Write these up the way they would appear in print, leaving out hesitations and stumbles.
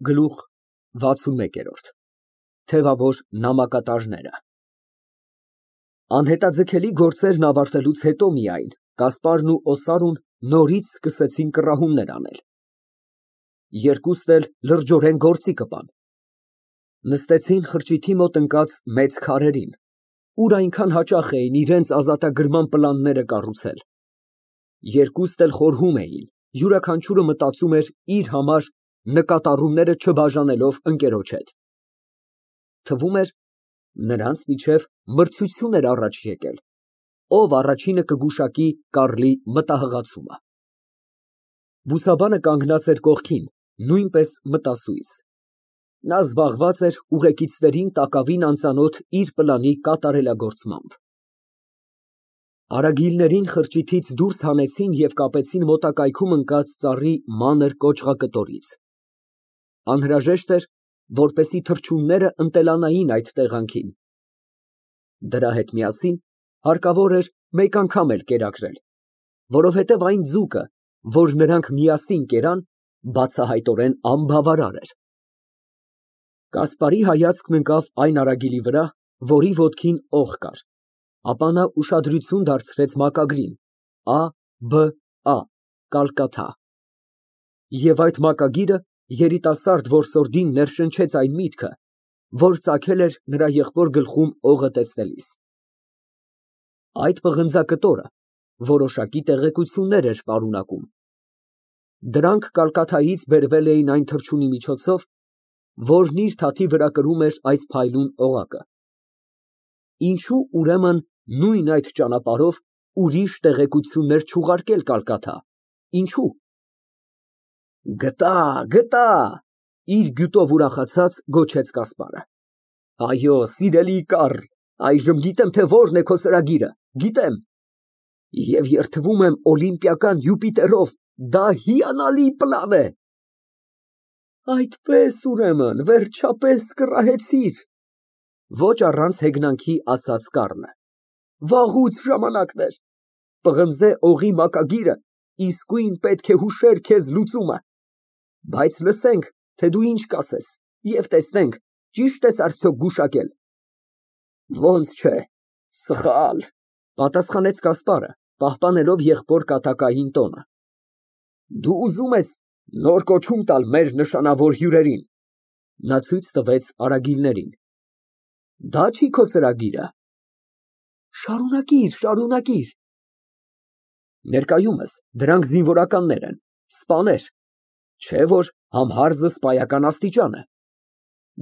Գլուխ XI Թևավոր նամակատարները Անհետաձգելի գործերն ավարտելուց հետո միայն Կասպարն ու Օսարուն նորից սկսեցին կռահումներ անել։ Երկուսն էլ լրջորեն գործի կպան։ Նստեցին խրճիթի մոտ ընկած մեծ քարերին, ուր այնքան հաճախ էին իրենց ազատագրման պլանները կառուցել։ Երկուսն էլ խորհում էին, յուրաքանչյուրը մտածում էր իր համար, նկատառումները չբաժանելով ընկերոջ հետ։ Թվում էր, նրանց միջև մրցություն էր առաջ եկել, ով առաջինը կգուշակի Կարլի մտահղացումը։ Բուսաբանը կանգնած էր կողքին, նույնպես մտասույզ։ Նա զբաղված էր ուղեկիցներին տակավին անծանոթ իր պլանի կատարելագործմամբ։ Արագիլներին խրճիթից դուրս հանեցին և կապեցին մոտակայքում ընկած ծառի մանր կոճղակտորից։ Անհրաժեշտ էր, որպեսզի թռչունները ընտելանային այդ տեղանքին։ Դրա հետ միասին հարկավոր էր մեկ անգամ էլ կերակրել, որովհետև այն ձուկը, որ նրանք միասին կերան, բացահայտորեն անբավարար էր։ Կասպարի հայացքն ընկավ այն արագիլի վրա, որի ոտքին օղ կար, ապա նա ուշադրություն դարձրեց մակագրին ԱԲԱ կալկաթա։ Եվ այդ մակագիրը երիտասարդ որսորդին ներշնչեց այն միտքը, որ ծագել էր նրա եղբոր գլխում օղը տեսնելիս։ Այդ պղնձակտորը որոշակի տեղեկություններ էր պարունակում։ Դրանք կալկաթայից բերվել էին այն թռչունի միջոցով, որն իր թաթի վրա կրում էր այս փայլուն օղակը։ Ինչո՞ւ ուրեմն նույն այդ ճանապարհով ուրիշ տեղեկություններ չուղարկել կալկաթա, ինչո՞ւ։ Գտա, իր գյուտով ուրախացած գոչեց Կասպարը։ Այո, սիրելի Կարլ, այժմ գիտեմ, թե որն է քո ծրագիրը, գիտեմ։ Եվ երդվում եմ օլիմպիական Յուպիտերով, դա հիանալի պլան է։ Այդպես ուրեմն, վերջապես կռահեցիր, ոչ առանց հեգնանքի ասաց Կառլը։ Վաղուց ժամանակն էր։ Պղնձե օղի մակագիրը իսկույն պետք է հուշեր քեզ լուծումը։ Բայց լսենք, թե դու ինչ կասես, և տեսնենք, ճի՞շտ ես արդյոք գուշակել։ Ոնց չէ, սխալ, պատասխանեց Կասպարը, պահպանելով եղբոր կատակային տոնը։ Դու ուզում ես նոր կոչում տալ մեր նշանավոր հյուրերին։ Նա ցույց տվեց արագիլներին։ Դա չի քո ծրագիրը։ Շարունակիր։ Ներկայումս դրանք զինվորականներ են, սպաներ, չէ որ համհարզը սպայական աստիճան է։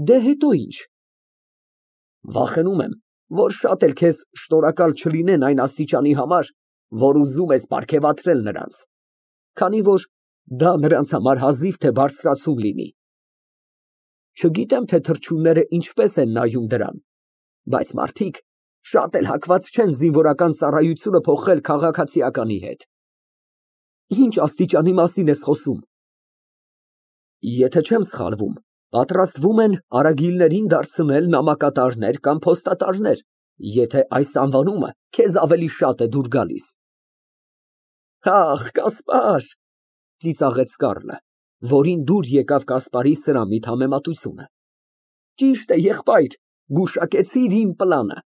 Դե հետո ինչ։ Վախենում եմ, որ շատ էլ քեզ շնորհակալ չլինեն այն աստիճանի համար, որ ուզում ես պարգևատրել նրանց, քանի որ դա նրանց համար հազիվ թե բարձրացում լինի։ Չգիտեմ, թե թռչունները ինչպես են նայում դրան, բայց մարդիկ շատ էլ հակված չեն զինվորական ծառայությունը փոխել քաղաքացիականի հետ։ Ինչ աստիճանի մասին ես խոսում։ Եթե չեմ սխալվում, պատրաստվում են արագիլներին դարձնել նամակատարներ կամ փոստատարներ, եթե այս անվանումը քեզ ավելի շատ է դուր գալիս։ Ախ, Կասպար, ծիծաղեց Կառլը, որին դուր եկավ Կասպարի սրամիտ համեմատությունը։ Ճիշտ է, եղբայր, գուշակեցիր իմ պլանը։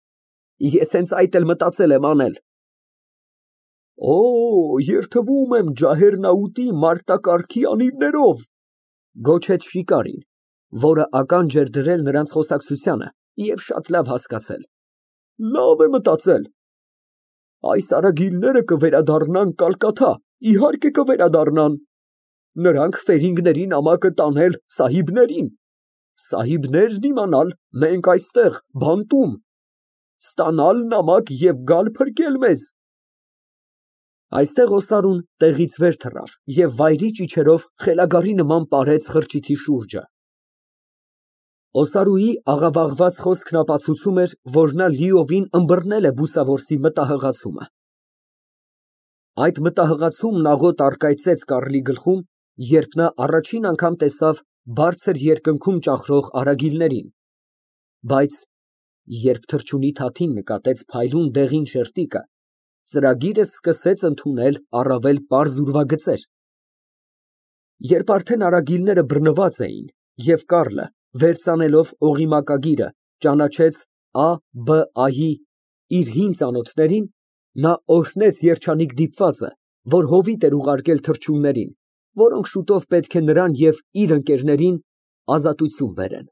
Ես հենց այդ էլ մտածել եմ անել։ Օ, երդվում եմ ջահեռնաուտի մարտակառքի անիվներով, գոչեց շիկարին, որը ականջ էր դրել նրանց խոսակցությանը և շատ լավ հասկացել։ Լավ է մտածել։ Այս արագիլները կվերադառնան Կալկաթա, իհարկե կվերադառնան։ Նրանք ֆերինգների նամակը տանել սահիբներին, սահիբներն իմանալ մենք այստեղ, բանտում, ստանալ նամակ և գալ փրկել մեզ։ Այստեղ Օսարուն տեղից վեր թռավ և վայրի ճիչերով խելագարի նման պարեց խրճիթի շուրջը։ Օսարուի աղավաղված խոսքն ապացուցում էր, որ նա լիովին ըմբռնել է բուսավորսի մտահղացումը։ Այդ մտահղացումն աղոտ առկայծեց Կարլի գլխում, երբ նա առաջին անգամ տեսավ բարձր երկնքում ճախրող արագիլներին, բայց երբ թռչունի թաթին նկատեց փայլուն դեղին շերտիկը, ծրագիրը սկսեց ընդունել առավել պարզ ուրվագծեր։ Երբ արդեն արագիլները բռնված էին Եվ Կառլը, վերցնելով օղի մակագիրը, ճանաչեց Ա֊Բ֊այի իր հին ծանոթներին, նա օրհնեց երջանիկ դիպվածը, որ հովիտ էր ուղարկել թռչուններին, որոնք շուտով պետք է նրան և իր ընկերներին ազատություն բերեն։